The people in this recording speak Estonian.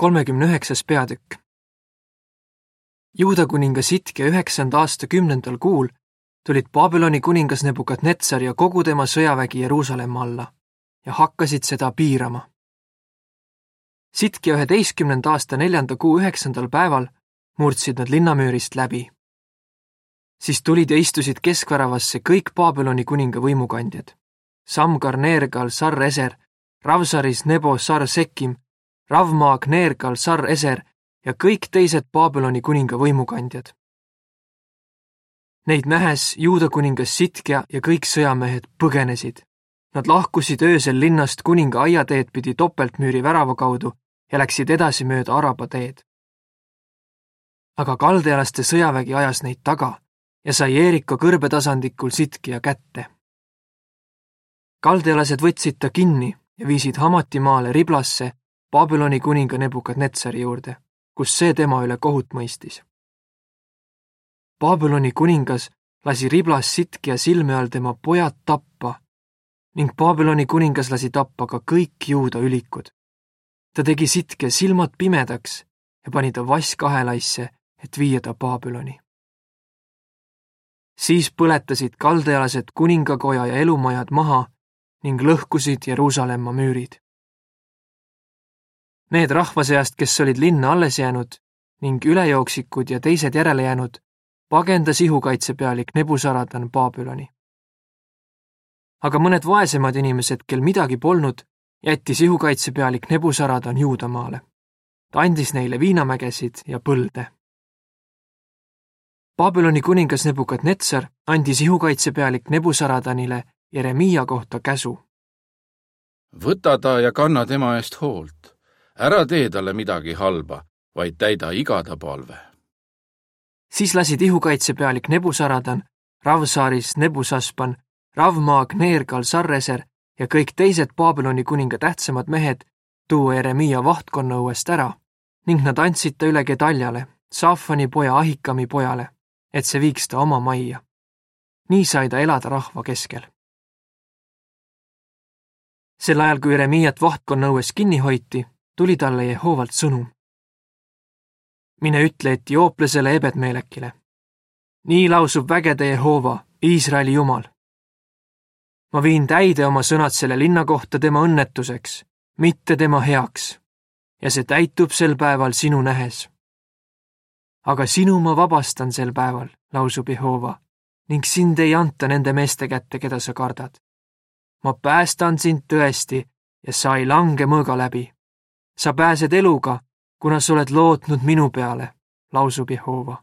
39. peatükk. Juuda kuninga Sitkia 9. aasta 10. kuul tulid Babyloni kuningas Nebukadnetsar ja kogu tema sõjavägi Jeruusalemma alla ja hakkasid seda piirama. Sitkia 11. aasta 4. kuu 9. päeval murdsid nad linnamüürist läbi. Siis tulid ja istusid keskväravasse kõik Babyloni kuninga võimukandjad. Samgar Neergal Sar Eser, Ravsaris Nebo Sar Sekim, Ravmaag Neergal Sar Eser ja kõik teised Babyloni kuninga võimukandjad. Neid nähes Juuda kuningas Sitkia ja kõik sõjamehed põgenesid. Nad lahkusid öösel linnast kuninga aiateed pidi topeltmüüri värava kaudu ja läksid edasi mööda Araba teed. Aga kaldealaste sõjavägi ajas neid taga ja sai Jeeriko kõrbetasandikul Sitkia kätte. Kaldealased võtsid ta kinni ja viisid Hamatimaale Riblasse Babyloni kuninga Nebukadnetsari juurde, kus see tema üle kohut mõistis. Babyloni kuningas lasi Riblas Sitkia silme all tema pojad tappa ning Babyloni kuningas lasi tappa ka kõik Juuda ülikud. Ta tegi Sitkia silmad pimedaks ja pani ta vasskahelaisse, et viia ta Babyloni. Siis põletasid kaldealased kuningakoja ja elumajad maha ning lõhkusid Jeruusalemma müürid. Need rahva seast, kes olid linna alles jäänud ning ülejooksikud ja teised järele jäänud, pagendas ihukaitsepealik Nebusaradan Babyloni. Aga mõned vaesemad inimesed, kel midagi polnud, jättis ihukaitsepealik Nebusaradan Juudamaale. Ta andis neile viinamägesid ja põlde. Babyloni kuningas Nebukadnetsar andis ihukaitsepealik Nebusaradanile Jeremiia kohta käsu. Võta ta ja kanna tema eest hoolt. Ära tee talle midagi halba, vaid täida iga ta palve. Siis lasid ihukaitsepealik Nebusaradan, Ravsaris Nebusaspan, Ravmaag Neergal Sarreser ja kõik teised Babyloni kuninga tähtsamad mehed tuua Jeremiia vahtkonna õuest ära ning nad andsid ta üle Gedaljale, Saafani poja Ahikami pojale, et see viiks ta oma majja. Nii sai ta elada rahva keskel. Sel ajal, kui Jeremiiat vahtkonna õues kinni hoiti, tuli talle Jehoovalt sõnum. Mine ütle etiooplasele Ebedmelekile. Nii lausub vägede Jehoova, Iisraeli Jumal. Ma viin täide oma sõnad selle linna kohta tema õnnetuseks, mitte tema heaks, ja see täitub sel päeval sinu nähes. Aga sinu ma vabastan sel päeval, lausub Jehoova, ning sind ei anta nende meeste kätte, keda sa kardad. Ma päästan sind tõesti ja sa ei lange mõõga läbi. Sa pääsed eluga, kuna sa oled lootnud minu peale, lausub Jehoova.